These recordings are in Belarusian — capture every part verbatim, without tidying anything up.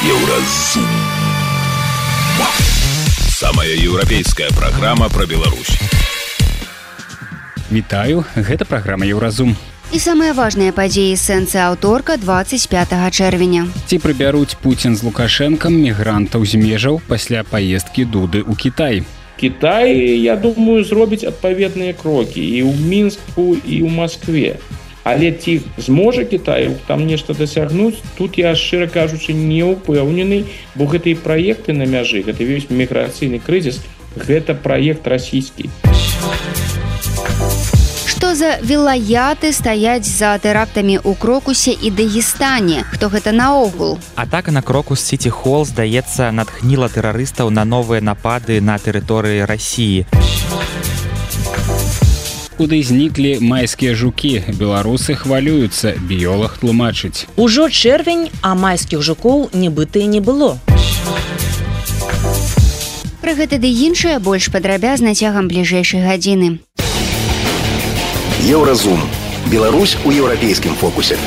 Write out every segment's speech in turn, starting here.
Еўразум. Самая еўрапейская праграма пра Беларусь. Вітаю, гэта праграма Еўразум. І самыя важныя падзеі сэнсы аўторка двадцать пятага чэрвеня. Ці прыбяруць Пуцін з Лукашэнкам мігрантаў з межаў пасля паездкі Дуды ў Кітай? Кітай, я думаю, зробіць адпаведныя крокі і ў Мінску, і ў Маскве. Але ці зможа Кітай там нешта дасягнуць, тут я, шчыра кажучы, не ўпэўнены, бо гэтыя праекты на мяжы, гэта весь міграцыйны крызіс, гэта праект расійскі. Што за вілаяты стаяць за тэрактамі ў Крокусе і Дагестане? Хто гэта наогул? Атака на Крокус Сіті Холл, здаецца, натхніла тэрарыстаў на новыя напады на тэрыторыі Расіі. Куды зніклі майскія жукі? Беларусы хвалююцца, біёлаг тлумачыць. Ужо чэрвень, а майскіх жукоў нібыта і не было. Пра гэта ды іншае больш падрабязна цягам бліжэйшай гадзіны. Еўразум. Беларусь у еўрапейскім фокусе.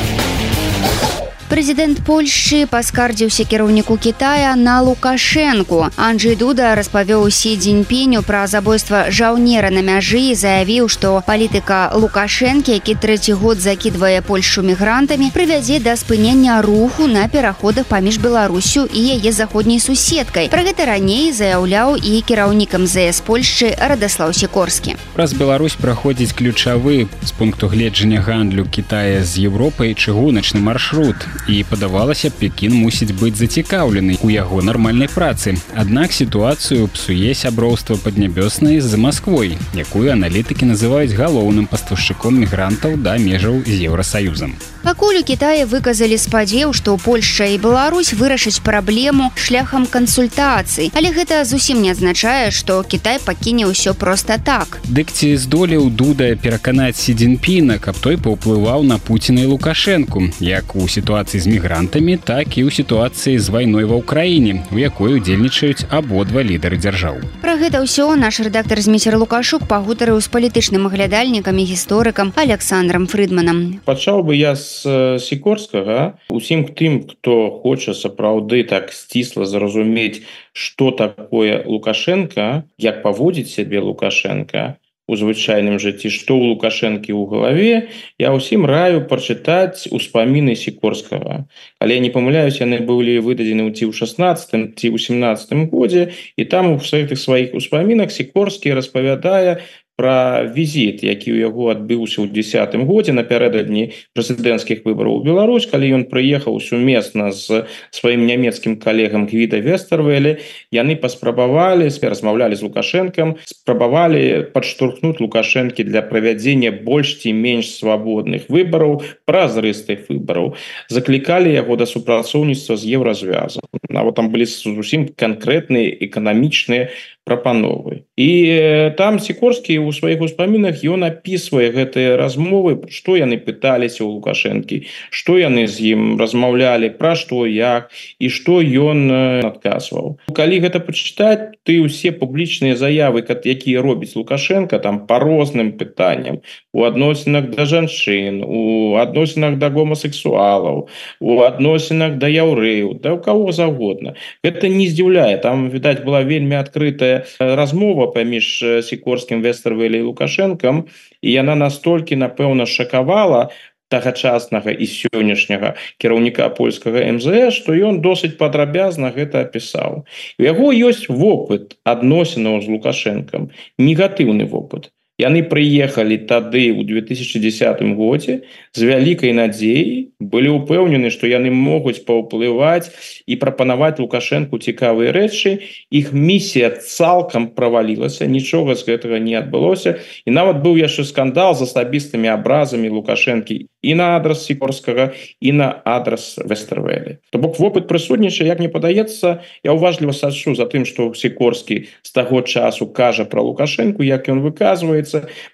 Прэзідэнт Польшчы паскардзіўся кіраўніку Кітая на Лукашэнку. Анджэй Дуда распавёў Сі Цзіньпіню пра забойства жаўнера на мяжы і заявіў, што палітыка Лукашэнкі, які трэці год закідвае Польшчу мігрантамі, прывядзе да спынення руху на пераходах паміж Беларусю і яе заходняй суседкай. Пра гэта раней заяўляў і кіраўнік эм зэ эс Польшчы Радаслаў Сікорскі. Праз Беларусь праходзіць ключавы з пункту гледжання гандлю Кітая з Еўропай чыгуначны маршрут. І падавалася, Пекін мусіць быць зацікаўлены ў яго нармальнай працы. Аднак сітуацыю псуе сяброўства паднябёснай з Масквой, якую аналітыкі называюць галоўным пастаўшчыком мігрантаў да межаў з Еўрасаюзам. Пакуль у Кітаі выказалі спадзеў, што Польшча і Беларусь вырашаць праблему шляхам кансультацый. Але гэта зусім не азначае, што Кітай пакіне ўсё проста так. Дык ці здолеў Дуда пераканаць Сі Цзіньпіна, каб той паўплываў на Пуціна і Лукашэнку, як у сітуацыі з мігрантамі, так і ў сітуацыі з вайной ва ўкраіне, у якой удзельнічаюць абодва лідары дзяржаў. Пра гэта ўсё наш рэдактар Зміцер Лукашук пагутарыў з палітычным аглядальнікам і гісторыкам Александром Фрыдманам. Пачаў бы я з Сікорскага. Усім тым, хто хоча сапраўды так сцісла зразумець, што такое Лукашенко, як паводзіць сябе Лукашенко у звычайным жыцці, што ў Лукашэнкі ў галаве, я ўсім раю прачытаць успаміны Сікорскага. Але не памыляюсь, яны былі выдадзены ці ў шаснаццатым, ці ў сямнаццатым годзе, і там у гэтых сваіх успамінах Сікорскі распавядае пра візіт, які ў яго адбыўся ў дзесятым годзе напярэдадні прэзідэнцкіх выбараў у Беларусь, калі ён прыехаў сумесна з сваім нямецкім калегам Гвіда Вестэрвэлі. Яны паспрабавалі, размаўлялі з Лукашэнкам, спрабавалі падштурхнуць Лукашэнкі для правядзення больш ці менш свабодных выбараў, празрыстых выбараў. Заклікалі яго да супрацоўніцтва з Еўразвязам. Нават там былі зусім канкрэтныя эканамічныя прапановы. І там Сікорскі у сваіх успамінах ён апісвае гэтыя размовы, што яны пыталіся ў Лукашэнкі, што яны з ім размаўлялі, пра што, як і што ён адказваў. Калі гэта пачытаць, ты ўсе публічныя заявы, якія робіць Лукашенко там па розным пытанням, у адносінах да жанчын, у адносінах да гомасексуалаў, у адносінах да яўрэяў, да ў каго заўгодна. Гэта не здзіўляе. Там, відаць, была вельмі адкрытая размова паміж Сікорскім, Вестэрвэлі і Лукашэнкам, і яна настолькі, напэўна, шакавала тагачаснага і сённяшняга кіраўніка польскага эм зэ эс, што ён досыць падрабязна гэта апісаў. У яго ёсць вопыт адносінаў з Лукашэнкам, негатыўны вопыт. Яны прыехалі тады ў две тысячы дзесятым годзе з вялікай надзеяй, былі ўпэўнены, што яны могуць паўплываць і прапанаваць Лукашэнку цікавыя рэчы. Іх місія цалкам правалілася, нічога з гэтага не адбылося. І нават быў яшчэ скандал з асабістымі абразамі Лукашэнкі і на адрас Сікорскага, і на адрас Вестэрвэлі. То бок вопыт прысутнічае, як мне падаецца, я уважліва сачу за тым, што Сікорскі з таго часу кажа пра Лукашэнку, як ён выказвае.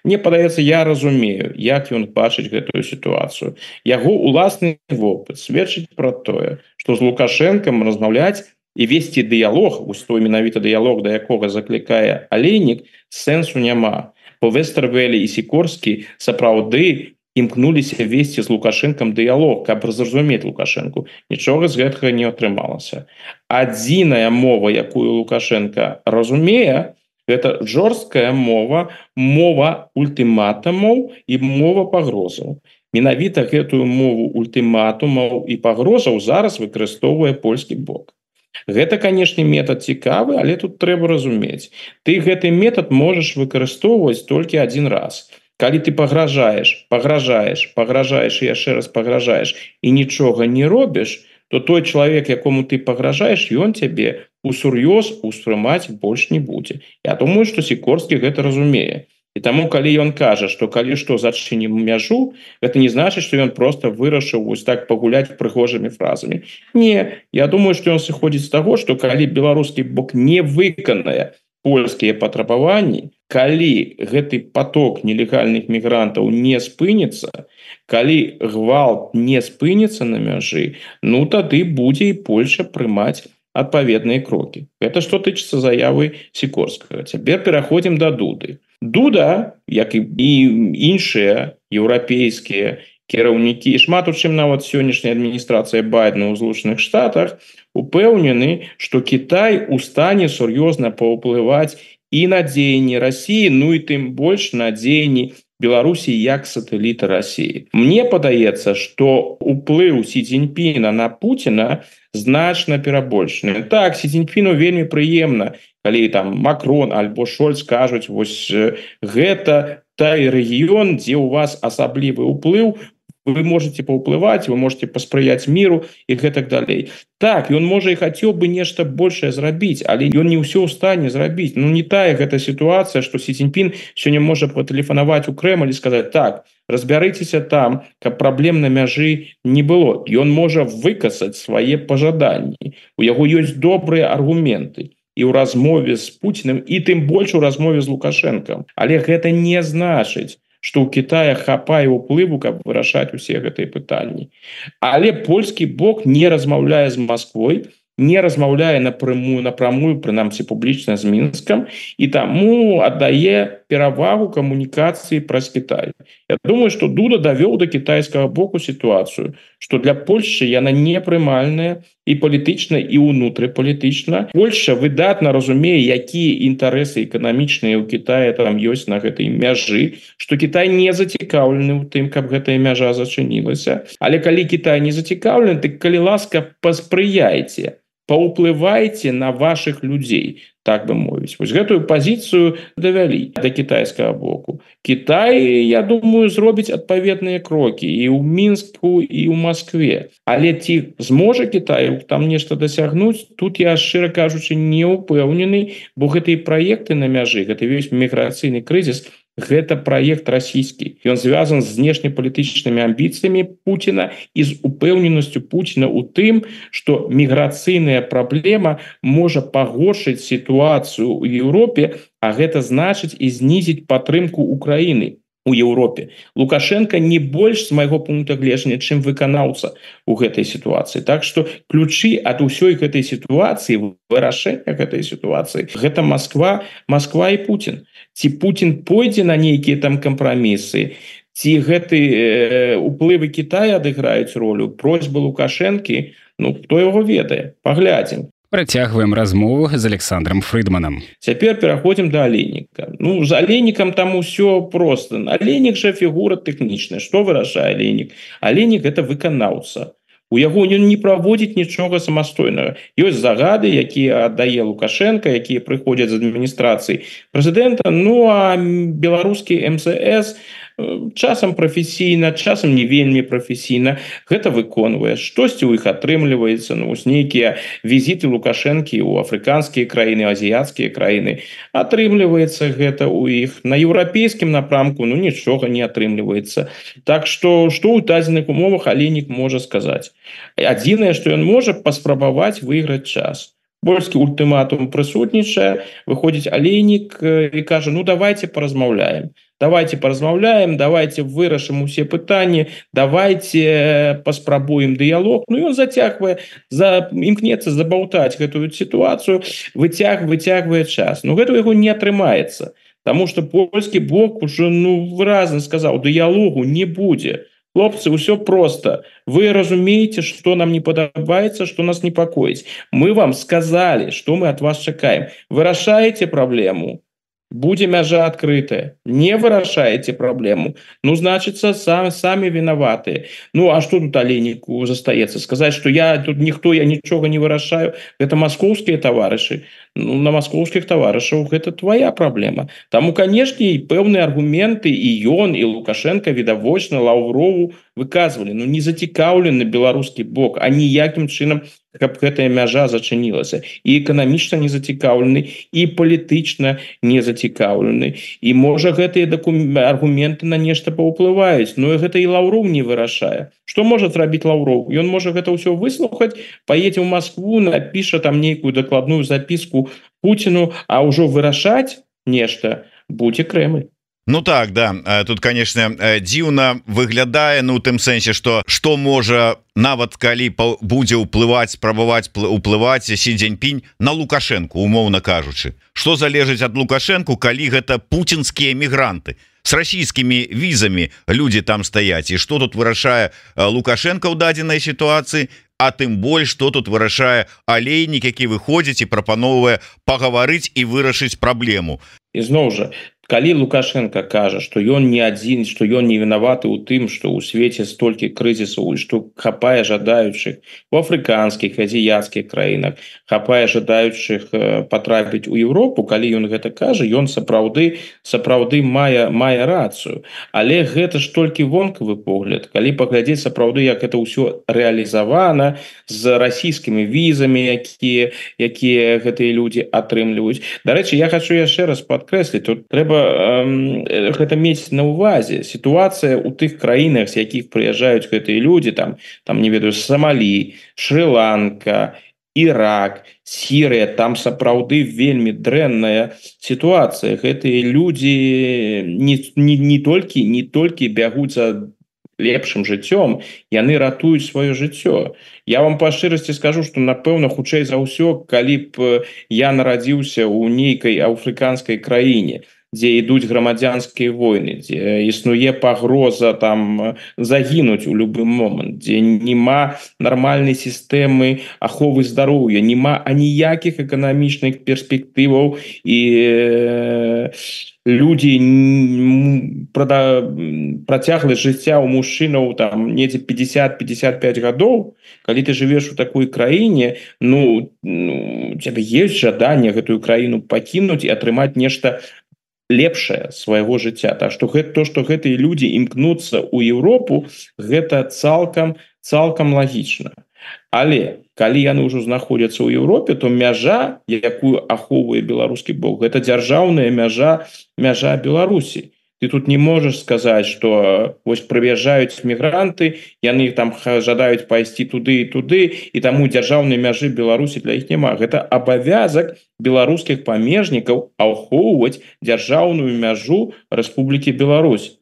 Мне падаецца, я разумею, як ён бачыць гэтую сітуацыю. Яго уласны вопыт сведчыць пра тое, што з Лукашэнкам размаўляць і весці дыялог, вось той менавіта дыялог, да якога заклікае Алейнік, сэнсу няма. Бо Вестэрвэлі і Сікорскі сапраўды імкнуліся весці з Лукашэнкам дыялог, каб зразумець Лукашэнку. Нічога з гэтага не атрымалася. Адзіная мова, якую Лукашенко разумее, гэта жорсткая мова, мова ультыматумаў і мова пагрозаў. Менавіта гэтую мову ультыматумаў і пагрозаў зараз выкарыстоўвае польскі бок. Гэта, канешне, метад цікавы, але тут трэба разумець. Ты гэты метад можаш выкарыстоўваць толькі адзін раз. Калі ты пагражаеш, пагражаеш, пагражаеш і яшчэ раз пагражаеш і нічога не робіш, то той чалавек, якому ты пагражаеш, ён цябе усур'ёз успрымаць больш не будзе. Я думаю, што Сікорскі гэта разумее. І таму, калі ён кажа, што калі што зачынім мяжу, гэта не значыць, што ён проста вырашыў вось так пагуляць прыгожымі фразамі. Не, я думаю, што ён сыходзіць з таго, што калі беларускі бок не выканае польскія патрабаванні, калі гэты поток нелегальных мігрантаў не спыніцца, калі гвалт не спыніцца на мяжы, ну тады будзе і Польша прымаць адпаведныя крокі. Гэта што тычыцца заявы Сікорскага. Цяпер пераходзім да Дуды. Дуда, як і іншыя еўрапейскія кіраўнікі, шмат у чым нават сённяшняя адміністрацыя Байдена ў Злучаных Штатах, упэўнены, што Кітай у стане сур'ёзна паўплываць і на дзеянні Расіі, ну і тым больш на дзеянні Беларусі як сатэліта Расіі. Мне падаецца, што ўплыў Сі Цзіньпіна на Пуціна значна перабольшаны. Так, Сі Цзіньпіну вельмі прыемна, калі там Макрон альбо Шольц кажуць, вось гэта той рэгіён, дзе ў вас асаблівы ўплыў, вы можете паўплываць, вы можете паспрыяць міру і гэтак далей. Так, ён можа і хацеў бы нешта большае зрабіць, але ён не ўсё ў стане зрабіць. Ну не тая гэта сітуацыя, што Сі Цзіньпін сёння можа патэлефанаваць у Крэмль і сказаць: так, разбярыцеся там, каб праблем на мяжы не было. Ён можа выкасаць свае пажаданні. У яго ёсць добрыя аргументы і ў размове з Пуціным, і тым больш у размове з Лукашэнкам. Але гэта не значыць, што ў Кітая хапае ўплыву, каб вырашаць усе гэтыя пытанні. Але польскі бок не размаўляе з Масквой, не размаўляе напрямую, напрямую, прынамсі публічна з Мінскам, і таму аддае перавагу камунікацыі праз Кітай. Я думаю, што Дуда давёў да кітайскага боку сітуацыю, што для Польшчы яна непрымальная і палітычна, і ўнутрыпалітычна. Польшча выдатна разумее, якія інтарэсы эканамічныя ў Кітаі там ёсць на гэтай мяжы, што Кітай не зацікаўлены ў тым, каб гэтая мяжа зачынілася. Але калі Кітай не зацікаўлены, дык калі ласка, паспрыяйце, паўплывайце на вашых людзей, так бы мовіць. Вось гэтую пазіцыю давялі да кітайскага боку. Кітай, я думаю, зробіць адпаведныя крокі і ў Мінску, і ў Маскве. Але ці зможа Кітай там нешта дасягнуць, тут я, шчыра кажучы, не ўпэўнены, бо гэтыя праекты на мяжы, гэта весь міграцыйны крызіс, гэта праект расійскі. Ён звязан з знешнепалітычнымі амбіцыямі Пуціна і з упэўненасцю Пуціна ў тым, што міграцыйная праблема можа пагоршыць сітуацыю ў Еўропе, а гэта значыць і знізіць падтрымку Украіны у Еўропе. Лукашенко не больш, з майго пункта гледжання, чым выканаўца ў гэтай сітуацыі. Так што ключы ад усёй гэтай сітуацыі, вырашэння гэтай сітуацыі, гэта Масква, Масква і Пуцін. Ці Пуцін пойдзе на нейкія там кампрамісы, ці гэты э, уплывы Кітая адыграюць ролю, просьбы Лукашэнкі, ну, хто яго ведае, паглядзім. Працягваем размову з Александром Фрыдманам. Цяпер пераходзім да Алейніка. Ну, з Алейнікам там усё проста. Алейнік жа фігура тэхнічная. Што вырашае Алейнік? Алейнік – гэта выканаўца. У яго ён не праводзіць нічога самастойнага. Ёсць загады, якія аддае Лукашенко, якія прыходзяць з адміністрацыі прэзідэнта, ну а беларускі эм зэ эс часам прафесійна, часам не вельмі прафесійна гэта выконвае. Штосьці ў іх атрымліваецца, ну, вось нейкія візіты Лукашэнкі ў афрыканскія краіны, азіяцкія краіны. Атрымліваецца гэта ў іх. На еўрапейскім напрамку, ну, нічога не атрымліваецца. Так што, што ў дадзеных умовах Алейнік можа сказаць? Адзінае, што ён можа паспрабаваць выйграць час. Польскі ультыматум прысутнічае, выходзіць Алейнік і кажа: ну, давайте паразмаўляем. Давайте паразмаўляем, давайте вырашым усе пытанні, давайте паспрабуем дыялог. Ну, ён зацягвае, за... імкнецца забаўтаць гэтую сітуацыю, выцяг, выцягвае час. Но гэта ў яго не атрымаецца. Таму что польскі бок уже ну выразна сказаў, дыялогу не будзе. Хлопцы, все просто. Вы разумеете, что нам не подобается, что нас непокоит. Мы вам сказали, что мы от вас чакаем. Вы решаете проблему, будзе мяжа открытая. Не вырашаете проблему, ну, значит, сам, сами виноваты. Ну, а что тут Олейнику застаецца? Сказать, что я тут никто, я ничего не вырашаю. Это московские товарищи. Ну, на московских товарищах это твоя проблема. Таму, конечно, и пэўныя аргументы и ён, и Лукашенко відавочна Лаўрову выказывали. Ну, не зацікаўлены беларускі бок, а ніякім чынам, каб гэтая мяжа зачынілася. И эканамічна не зацікаўлены, и палітычна не зацікаўлены. И можа гэтыя аргументы на нешта паўплываюць, но гэта и Лаўров не вырашае. Что может зрабіць Лаўров? Ён можа гэта ўсё выслухаць, поедзе ў Москву, напіша там нейкую дакладную записку Путину, а ўжо вырашаць нешта будзе Кремль. Ну так, да, тут, конечно, дзіўна выглядае, ну, у тым сэнсе, что што можа нават калі будзе ўплываць, спрабаваць уплываць Сі Цзіньпінь на Лукашенко, умоўна кажучы. Што залежыць ад Лукашенко, калі гэта пуцінскія мігранты? С расійскімі візамі людзі там стаяць. І што тут вырашае Лукашенко ў дадзенай сітуацыі? А тым больш, што тут вырашае Алейнік, які выходзіць і прапановвае пагаварыць і вырашыць праблему. І зноў жа, калі Лукашенко кажа, што ён не адзін, што ён не вінаваты ў тым, што ў свеце столькі крызісаў і што хапае жадаючых у афрыканскіх, азіяцкіх краінах, хапае жадаючых патрапіць у Еўропу, калі ён гэта кажа, ён сапраўды сапраўды мае мае рацыю. Але гэта ж толькі вонкавы погляд. Калі паглядзець сапраўды, як гэта ўсё рэалізавана з расійскімі візамі, якія якія гэтыя людзі атрымліваюць. Дарэчы, я хочу яшчэ раз падкрэсліць, тут трэба гэта мець на увазе. Сітуацыя ў тых краінах, з якіх прыязджаюць гэтыя людзі, там, там не ведаю, Сомалі, Шры-Ланка, Ірак, Сірыя, там сапраўды вельмі дрэнная сітуацыя. Гэтыя людзі не, не, не толькі не толькі бягуць за лепшым жыццём, яны ратуюць сваё жыццё. Я вам па шчырасці скажу, што напэўна хутчэй за ўсё, калі б я нарадзіўся ў нейкай афрыканскай краіне, дзе ідуць грамадзянскія войны, дзе існуе пагроза там загінуць у любы момант, дзе няма нармальнай сістэмы аховы здароўя, няма аніякіх эканамічных перспектываў і людзі працягласць жыцця ў мужчынаў там недзе пятьдесят пятьдесят пять гадоў. Калі ты жывеш у такой краіне, ну, ну у цябе ёсць жаданне гэтую краіну пакінуць і атрымаць нешта лепшае свайго жыцця. Так што гэта то, што гэтыя людзі імкнуцца ў Еўропу, гэта цалкам цалкам лагічна. Але калі яны ўжо знаходзяцца ў Еўропе, то мяжа, якую ахоўвае беларускі бок, гэта дзяржаўная мяжа мяжа Беларусі. Ты тут не можаш сказаць, што вось прыязджаюць мігранты, яны там жадаюць пайсці туды і туды, і таму дзяржаўнай мяжы Беларусі для іх няма. Гэта абавязак беларускіх памежнікаў ахоўваць дзяржаўную мяжу Рэспублікі Беларусь.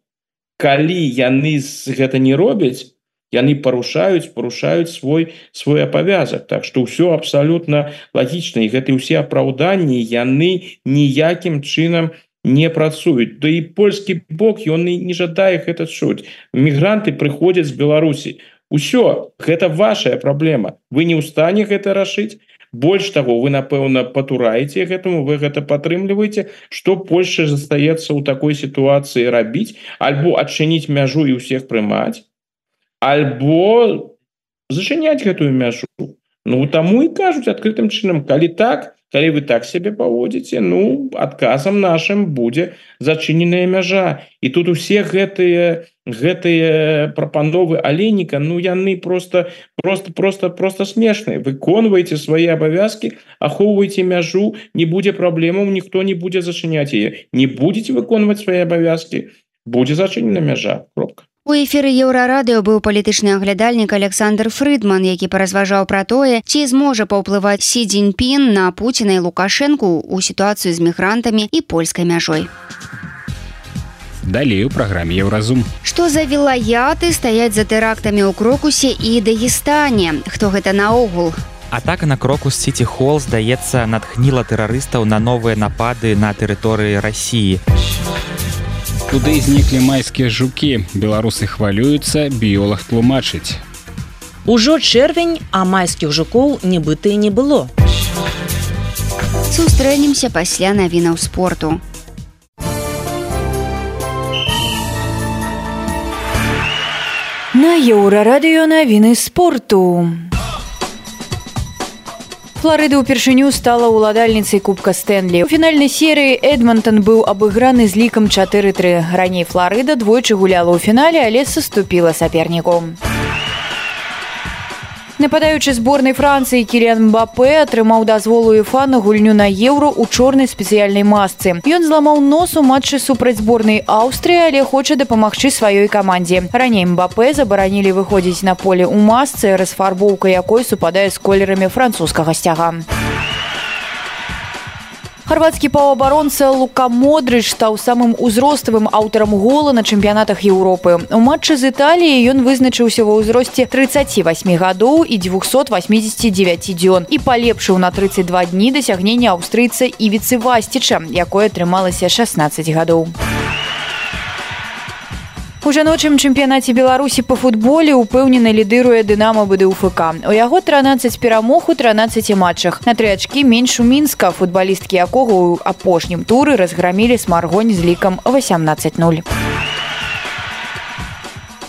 Калі яны гэта не робяць, яны парушаюць, парушаюць свой свой абавязак. Так што ўсё абсалютна лагічна, і гэтыя ўсе апраўданні яны ніякім чынам не працуюць. Да і польскі бок ён не жадае гэта чуць. Мігранты прыходзяць з Беларусі. Усё, гэта вашая праблема. Вы не ў стане гэта рашыць. Больш таго, вы, напэўна, патураеце гэтаму, вы гэта падтрымліваеце. Што Польшча застаецца ў такой сітуацыі рабіць? Альбо адчыніць мяжу і ўсіх прымаць, альбо зачыняць гэтую мяжу. Ну, таму і кажуць адкрытым чынам, калі так, калі вы так себе паводзіце, ну, адказам нашым будзе зачыненая мяжа. І тут усе гэтыя гэтыя прапановы Алейніка, ну, яны просто просто просто просто смешныя. Выконвайце свае абавязкі, ахоўвайце мяжу, не будзе праблемаў, ніхто не будзе зачыняць яе. Не будзеце выконваць свае абавязкі, будзе зачынена мяжа. Кропка. У эфіры Еўрарадыё быў палітычны аглядальнік Александр Фрыдман, які паразважаў пра тое, ці зможа паўплываць Сі Цзіньпін на Пуціна і Лукашэнку ў сітуацыю з мігрантамі і польскай мяжой. Далей у праграме Еўразум. Што за вілаяты стаяць за тэрактамі ў Крокусе і Дагестане? Хто гэта наогул? Атака на Крокус-Сіті Холл, здаецца, натхніла тэрарыстаў на новыя напады на тэрыторыі Расіі. Туды зніклі майскія жукі. Беларусы хвалююцца, біёлаг тлумачыць. Ужо чэрвень, а майскіх жукоў нібыта і не было. Сустрэнемся пасля навінаў спорту. На Еўрарадыё навіны спорту. Флорыда ўпершыню стала ўладальніцай Кубка Стэнлі. У фінальнай серыі Эдмонтон быў абыграны з лікам чатыры тры. Раней Флорыда двойчы гуляла ў фінале, але саступіла саперніку. Нападаючы зборнай Францыі Кіліан Мбапэ атрымаў дазвол УЕФА на гульню на Еўро ў чорнай спецыяльнай масцы. Ён зламаў нос у матчы супраць зборнай Аўстрыі, але хоча дапамагчы сваёй камандзе. Раней Мбапэ забаранілі выходзіць на поле ў масцы, расфарбоўка якой супадае з колерамі французскага сцяга. Харвацкі паўабаронца Лука Модрыч стаў самым узроставым аўтарам гола на чэмпіянатах Еўропы. У матчы з Італіяй ён вызначыўся ва ўзросце трыццаці васьмі гадоў і дзвюхсот васьмідзесяці дзевяці дзён і палепшыў на трыццаць два дні дасягнення аўстрыйца Івіцы Васціча, якое атрымалася шаснаццаць гадоў. У жаночым чэмпіянаце Беларусі па футболе упэўнена лідыруе Дынамо БДУФК. У яго трынаццаць перамог у трынаццаці матчах. На тры ачкі менш у Мінска, футбалісткі якога ў апошнім туры разграмілі Смаргонь з лікам васямнаццаць нуль.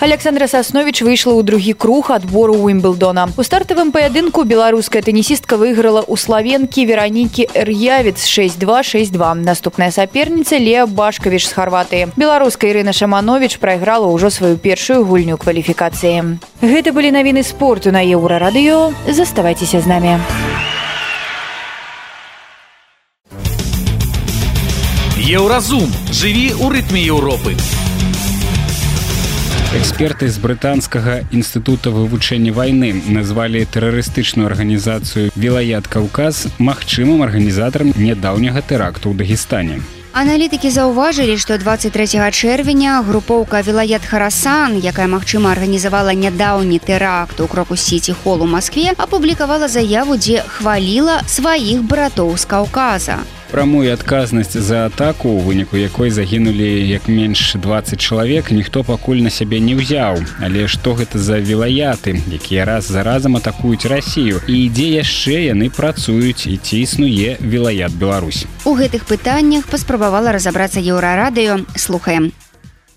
Александра Сасновіч выйшла ў другі круг адбору Уімблдона. У стартавым паядынку беларуская тэнісістка выйграла ў славенкі Веранікі Эр'явец шэсць два шэсць два. Наступная саперніца Леа Башкавіч з Харватыі. Беларуска Ірына Шамановіч прайграла ўжо сваю першую гульню кваліфікацыі. Гэта былі навіны спорту на Еўрарадыё. Заставайцеся з намі. Еўразум. Жыві ў рытме Еўропы. Эксперты з брытанскага інстытута вывучэння вайны назвалі тэрарыстычную арганізацыю «Вілаят Каўказ» магчымым арганізатарам нядаўняга тэракту ў Дагестане. Аналітыкі заўважылі, што дваццаць трэцяга чэрвеня групоўка «Вілаят Харасан», якая, магчыма, арганізавала нядаўні тэракт у Крокус-Сіті Холл у Маскве, апублікавала заяву, дзе хваліла сваіх братоў з Каўказа. Прамую адказнасць за атаку, у выніку якой загінулі як менш дваццаць чалавек, ніхто пакуль на сябе не ўзяў. Але што гэта за вілаяты, якія раз за разам атакуюць Расію? І дзе яшчэ яны працуюць і ці існуе Вілаят Беларусь? У гэтых пытаннях паспрабавала разабрацца Еўрарадыё. Слухаем.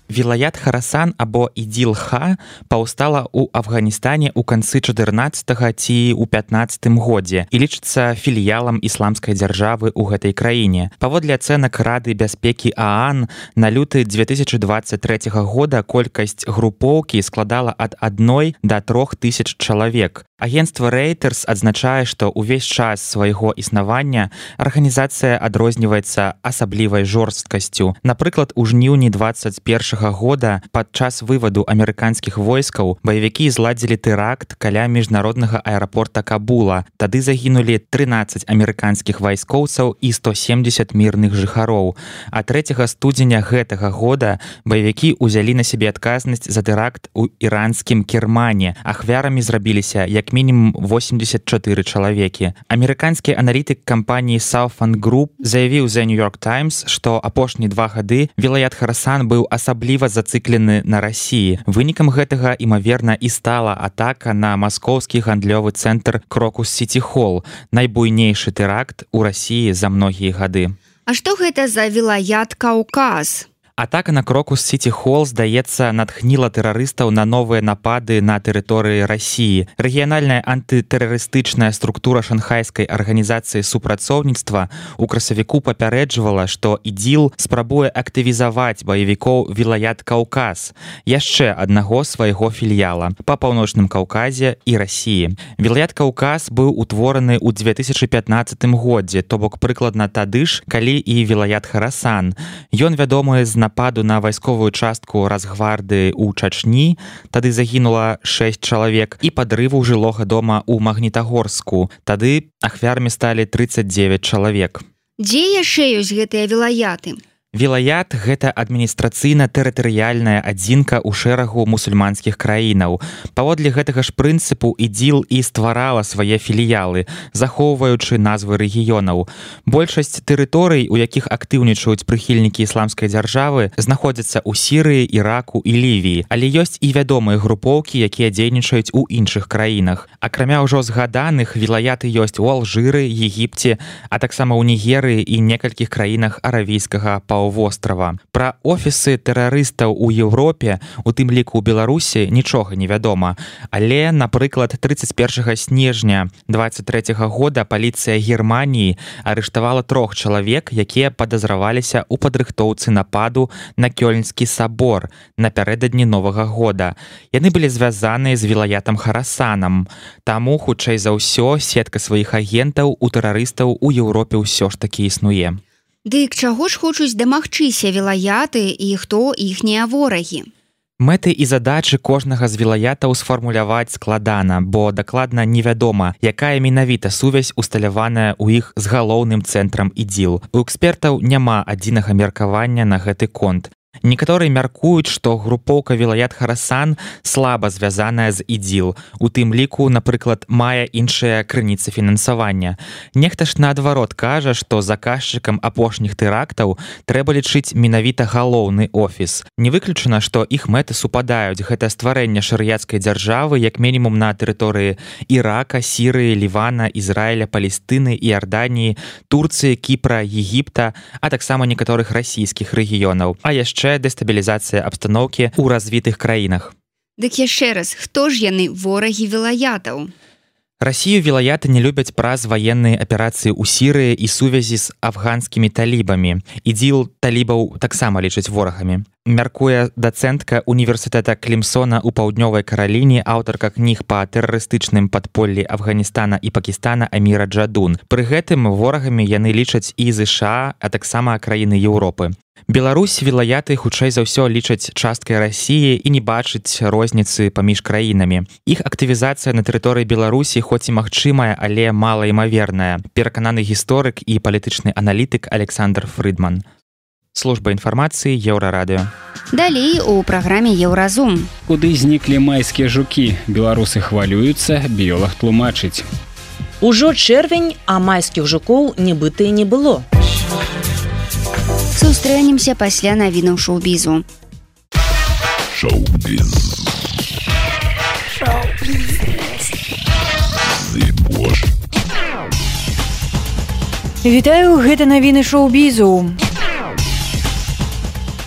Вілаят Харасан або Ідзіл-Ха паўстала ў Афганістане ў канцы чатырнаццатага ці ў пятнаццатым годзе і лічыцца філіялам ісламскай дзяржавы ў гэтай краіне. Паводле ацэнак Рады бяспекі ААН, на люты дзве тысячы дваццаць трэцяга года колькасць групоўкі складала ад адной да трох тысяч чалавек. Агенцтва Reuters адзначае, што ўвесь час свайго існавання арганізацыя адрозніваецца асаблівай жорсткасцю. Напрыклад, у жніўні дваццаць першага года падчас вываду амерыканскіх войскаў баевікі зладзілі тэракт каля міжнароднага аэрапорта Кабула. Тады загінулі трынаццаць амерыканскіх вайскоўцаў і сто семдзесят мірных жыхароў. А трэцяга студзеня гэтага года баевікі ўзялі на сябе адказнасць за тэракт у іранскім Кермане. Ахвярамі зрабіліся як мінімум восемьдесят чатыры чалавекі. Амерыканскі аналітык кампаніі Southern Group заявіў The New York Times, што апошнія два гады Вілаят Харасан быў асабліва зацыклены на Расіі. Вынікам гэтага, імаверна, і стала атака на маскоўскі гандлёвы цэнтр Крокус-Сіті Холл, найбуйнейшы тэракт у Расіі за многія гады. А што гэта за Вілаят Каўказ? Атака на Крокус-Сіті Холл, здаецца, натхніла тэрарыстаў на новыя напады на тэрыторыі Расіі. Рэгіянальная антытэрарыстычная структура шанхайскай арганізацыі супрацоўніцтва у красавіку папярэджвала, што ідзіл спрабуе актывізаваць баевікоў Вілаят Каўказ, яшчэ аднаго свайго філіяла па паўночным Каўказе і Расіі. Вілаят Каўказ быў утвораны ў дзве тысячы пятнаццатым годзе, то бок прыкладна тады ж, калі і Вілаят Харасан. Ён вядомы з нападу на вайсковую частку Разгварды ў Чачні, тады загінула шэсць чалавек, і падрыву жылога дома ў Магнітагорску. Тады ахвярамі сталі трыццаць дзевяць чалавек. Дзе яшчэ ёсць гэтыя вілаяты? Вілаят – гэта адміністрацыйна-тэрытарыяльная адзінка ў шэрагу мусульманскіх краінаў. Паводле гэтага ж прынцыпу ідзіл і стварала свае філіялы, захоўваючы назвы рэгіёнаў. Большасць тэрыторый, у якіх актыўнічаюць прыхільнікі ісламскай дзяржавы, знаходзяцца ў Сірыі, Іраку і Лівіі, але ёсць і вядомыя групоўкі, якія дзейнічаюць у іншых краінах. Акрамя ўжо згаданых, вілаяты ёсць у Алжыры, Егіпце, а таксама ў Нігерыі і некалькіх краінах аравійскага паўвострава. Пра офісы тэрарыстаў у Еўропе, у тым ліку ў Беларусі, нічога не вядома. Але, напрыклад, трыццаць першага снежня дваццаць трэцяга года паліцыя Германіі арыштавала трох чалавек, якія падазраваліся ў падрыхтоўцы нападу на Кёльнскі сабор напярэдадні Новага года. Яны былі звязаныя з вілаятам Харасанам. Таму, хутчэй за ўсё, сетка сваіх агентаў у тэрарыстаў у Еўропе ўсё ж такі існуе. Дык чаго ж хочуць дамагчыся вілаяты і хто іхнія ворагі? Мэты і задачы кожнага з вілаятаў сфармуляваць складана, бо дакладна невядома, якая менавіта сувязь усталяваная ў іх з галоўным цэнтрам ідзіл. У экспертаў няма адзінага меркавання на гэты конт. Некаторыя мяркуюць, што групоўка вілаят Харасан слаба звязаная з ідзіл. У тым ліку, напрыклад, мае іншыя крыніцы фінансавання. Нехта ж наадварот кажа, што заказчыкам апошніх тэрактаў трэба лічыць менавіта галоўны офіс. Не выключана, што іх мэты супадаюць. Гэта стварэнне шарыяцкай дзяржавы, як мінімум на тэрыторыі Ірака, Сірыі, Лівана, Ізраіля, Палестыны, Іорданіі, Турцыі, Кіпра, Егіпта, а таксама некаторых расійскіх рэгіёнаў. А яшчэ дэстабілізацыя абстаноўкі ў развітых краінах. Дык яшчэ раз, хто ж яны ворагі вілаятаў? Расію вілаяты не любяць праз ваенныя аперацыі ў Сірыі і сувязі з афганскімі талібамі. Ідзіл талібаў таксама лічаць ворагамі. Мяркуе дацэнтка універсітэта Клімсона ў паўднёвай Караліне, аўтарка кніг па тэрарыстычным падполлі Афганістана і Пакістана Аміра Джадун. Пры гэтым ворагамі яны лічаць і ЗША, а таксама краіны Еўропы. Беларусь вілаяты хутчэй за ўсё лічаць часткай Расіі і не бачыць розніцы паміж краінамі. Іх актывізацыя на тэрыторыі Беларусі хоць і магчымая, але малаімаверная, перакананы гісторык і палітычны аналітык Александр Фрыдман. Служба інфармацыі Еўрарадыё. Далей у праграме Еўразум. Куды зніклі майскія жукі? Беларусы хвалююцца, біёлаг тлумачыць. Ужо чэрвень, а майскіх жукоў нібыта і не было. Сустрэнемся пасля навінаў шоу-бізу. Шоу-біз. Вітаю, гэта навіны шоу-бізу.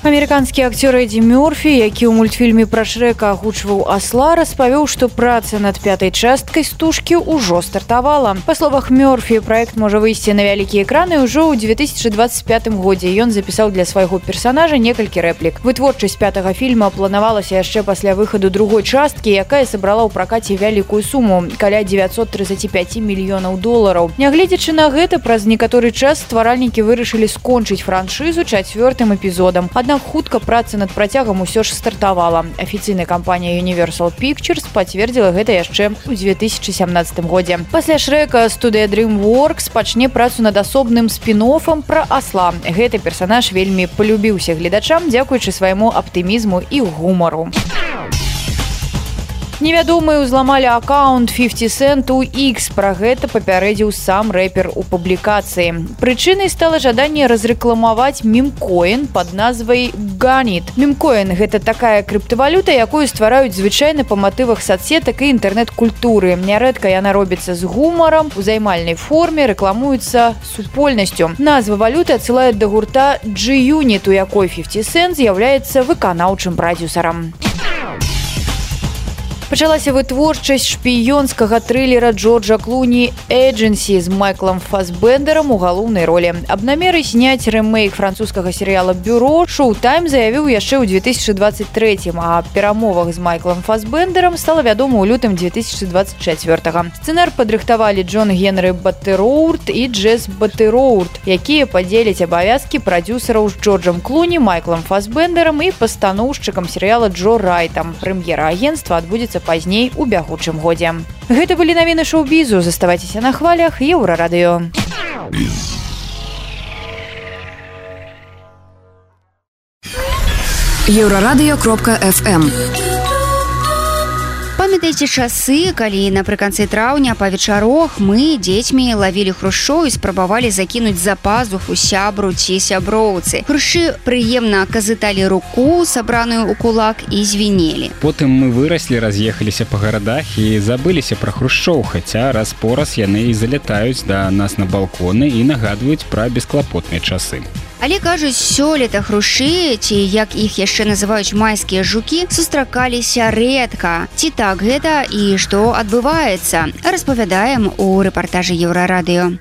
Амерыканскі акцёр Эдді Мёрфі, які ў мультфільме пра Шрэка агучваў асла, распавёў, што праца над пятай часткай стужкі ўжо стартавала. Па словах Мёрфі, праект можа выйсці на вялікія экраны ўжо ў две тысячы дваццаць пятым годзе. Ён запісаў для свайго персанажа некалькі рэплік. Вытворчасць пятага фільма планавалася яшчэ пасля выхаду другой часткі, якая сабрала ў пракаце вялікую суму – каля дзевяцьсот тридцаць пяць мільёнаў долараў. Нягледзячы на гэта, праз некаторы час стваральнікі вырашылі скончыць франшызу чацвёртым эпізодам. Аднак хутка праца над працягам усё ж стартавала. Афіцыйная кампанія Universal Pictures пацвердзіла гэта яшчэ ў две тысячы сямнаццатым годзе. Пасля Шрэка студыя DreamWorks пачне працу над асобным спін-офам пра асла. Гэты персанаж вельмі полюбіўся гледачам, дзякуючы свайму аптымізму і гумару. Невядомыя ўзламалі аккаунт пяцьдесят Cent у X. Пра гэта папярэдзіў сам рэпер у публікацыі. Прычынай стала жаданне разрэкламаваць мемкоін пад назвай Ганит. Мемкоін – гэта такая крыптавалюта, якую ствараюць звычайна па матывах соцсетак і інтэрнэт-культуры. Нярэдка яна робіцца з гумарам, у займальнай форме, рэкламуецца супольнасцю. Назва валюты адсылае да гурта G-Unit, у якой пяцьдесят Cent з'яўляецца выканаўчым прадзюсарам. Пачалася вытворчасць шпіёнскага трылера Джорджа Клуні «Эджэнсі» з Майклом Фасбендером у галоўнай ролі. Аб намеры зняць рэмейк французскага серыяла «Бюро» Шоутайм заявіў яшчэ ў две тысячы дваццаць трэцім, а аб перамовах з Майклом Фасбендером стала вядома ў лютым две тысячы дваццаць чацвёртага. Сцэнар падрыхтавалі Джон Генры Баттероурт і Джесс Баттероурт, якія падзеляць абавязкі прадзюсараў з Джорджам Клуні, Майклом Фасбендером і пастаноўшчыкам серыяла Джо Райтам. Прэм'ера агенцтва адбудзецца пазней у бягучым годзе. Гэта былі навіны шоу-бізу. Заставайцеся на хвалях Еўрарадыё. еўрарадыё кропка эф эм. Памятаеце часы, калі напрыканцы траўня па вечарах мы дзецьмі лавілі хрушчоў і спрабавалі закінуць за пазуху сябру ці сяброўцы. Хрушчы прыемна казыталі руку, сабраную ў кулак, і звінелі. Потым мы выраслі, раз'ехаліся па гарадах і забыліся пра хрушчоў, хаця раз-пораз яны і залятаюць да нас на балконы і нагадваюць пра бесклапотныя часы. Але, кажуць, сёлета хрушчы, ці як іх яшчэ называюць майскія жукі, сустракаліся рэдка. Ці так гэта і што адбываецца? Распавядаем у рэпартажы Еўрарадыё.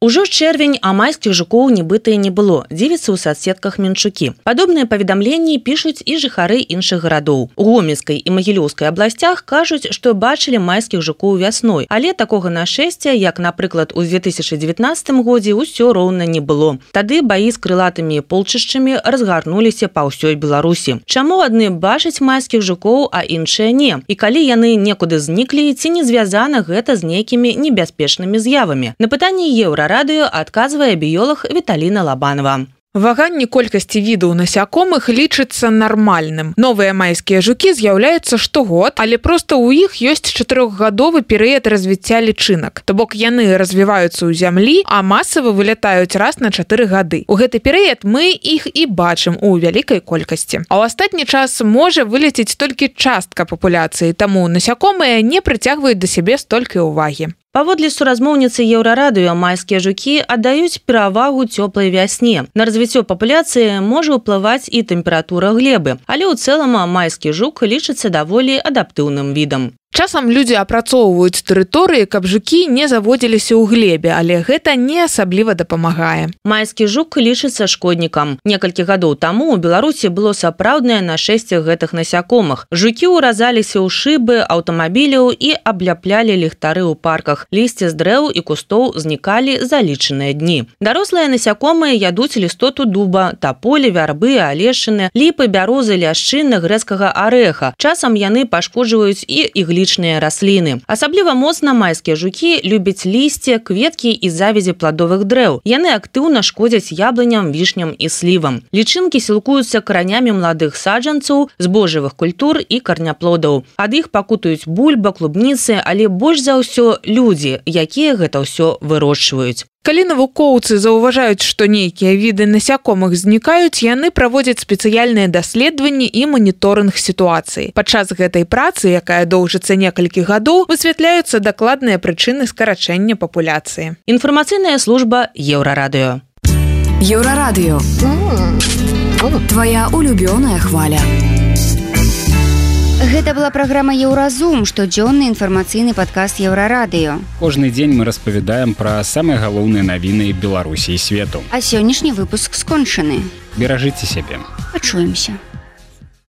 Ужо чэрвень, а майскіх жукоў нібыта і не было, дзівіцца ў соцсетках менчукі. Падобныя паведамленні пішуць і жыхары іншых гарадоў. У Гомельскай і Магілёўскай абласцях кажуць, што бачылі майскіх жукоў вясной, але такога нашэсця, як, напрыклад, у две тысячы дзевятнаццатым годзе, усё роўна не было. Тады баі з крылатымі полчышчамі разгарнуліся па ўсёй Беларусі. Чаму адны бачаць майскіх жукоў, а іншыя не? І калі яны некуды зніклі, ці не звязана гэта з нейкімі небяспечнымі з'явамі? На пытанне Еўра радыё адказвае біёлаг Віталіна Лабанова. Ваганне колькасці відаў насякомых лічыцца нармальным. Новыя майскія жукі з'яўляюцца штогод, але проста ў іх ёсць чатырохгадовы перыяд развіцця лічынак. То бок яны развіваюцца ў зямлі, а масава вылятаюць раз на чатыры гады. У гэты перыяд мы іх і бачым у вялікай колькасці. А ў астатні час можа вылецець толькі частка папуляцыі, таму насякомыя не прыцягваюць да сябе столькі ўвагі. Паводле суразмоўніцы Еўрарадыё, майскія жукі аддаюць перавагу цёплай вясне. На развіццё папуляцыі можа ўплываць і тэмпература глебы, але ў цэлым майскі жук лічыцца даволі адаптыўным відам. Часам людзі апрацоўваюць тэрыторыі, каб жукі не заводзіліся ў глебе, але гэта не асабліва дапамагае. Майскі жук лічыцца шкоднікам. Некалькі гадоў таму ў Беларусі было сапраўднае нашэсце гэтых насякомых. Жукі ўразаліся ў шыбы аўтамабіляў і абляплялі ліхтары ў парках. Лісце з дрэў і кустоў знікалі за лічаныя дні. Дарослыя насякомыя ядуць лістоту дуба, таполі, вярбы, алешыны, ліпы, бярозы, ляшчыны, грэцкага арэха. Часам яны пашкоджваюць і іглічныя расліны. Асабліва моцна майскія жукі любяць лісце, кветкі і завязі пладовых дрэў. Яны актыўна шкодзяць яблыням, вішням і слівам. Лічынкі сілкуюцца каранямі маладых саджанцаў, збожжавых культур і карняплодаў. Ад іх пакутаюць бульба, клубніцы, але больш за ўсё людзі, якія гэта ўсё вырошчваюць. Калі навукоўцы заўважаюць, што нейкія віды насякомых знікаюць, яны праводзяць спецыяльныя даследаванні і маніторынг сітуацыі. Падчас гэтай працы, якая доўжыцца некалькі гадоў, высвятляюцца дакладныя прычыны скарачэння папуляцыі. Інфармацыйная служба Еўрарадыё. Еўрарадыё. Твая улюбёная хваля. Гэта была праграма «Еўразум», штодзённы інфармацыйны падкаст Еўрарадыё. Кожны дзень мы распавядаем пра самыя галоўныя навіны Беларусі і свету. А сённяшні выпуск скончаны. Беражыце сябе. Пачуемся.